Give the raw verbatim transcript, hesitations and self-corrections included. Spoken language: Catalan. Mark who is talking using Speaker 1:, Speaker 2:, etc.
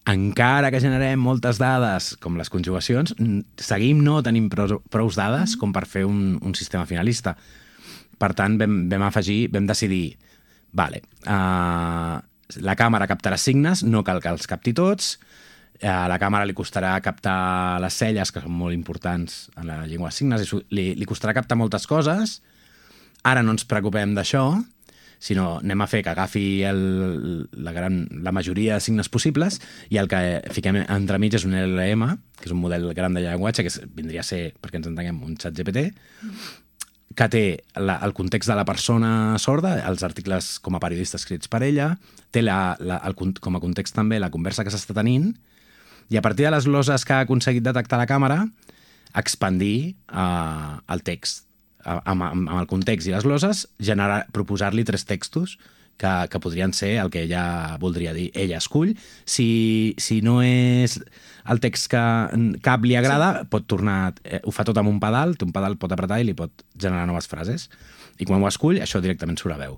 Speaker 1: encara que generem moltes dades, com les conjugacions, seguim no tenim prou, prou dades com per fer un, un sistema finalista. Per tant, vam, vam afegir, vam decidir, vale, uh, la càmera captarà signes, no cal que els capti tots, a la càmera li costarà captar les celles, que són molt importants en la llengua de signes, i li, li costarà captar moltes coses. Ara no ens preocupem d'això, sinó anem a fer que agafi el, la, gran, la majoria de signes possibles i el que fiquem entremig és un L L M, que és un model gran de llenguatge, que és, vindria a ser, perquè ens entenguem, un xat G P T, que té la, el context de la persona sorda, els articles com a periodista escrits per ella, té la, la, el, com a context també la conversa que s'està tenint, i a partir de les gloses que ha aconseguit detectar la càmera, expandir uh, el text. Amb, amb el context i les gloses, generar, proposar-li tres textos que, que podrien ser el que ella voldria dir. Ella escull. Si, si no és el text que cap li agrada, sí. pot tornar... Eh, ho fa tot amb un pedal, un pedal pot apretar i li pot generar noves frases. I quan ho escull, això directament surt a veu.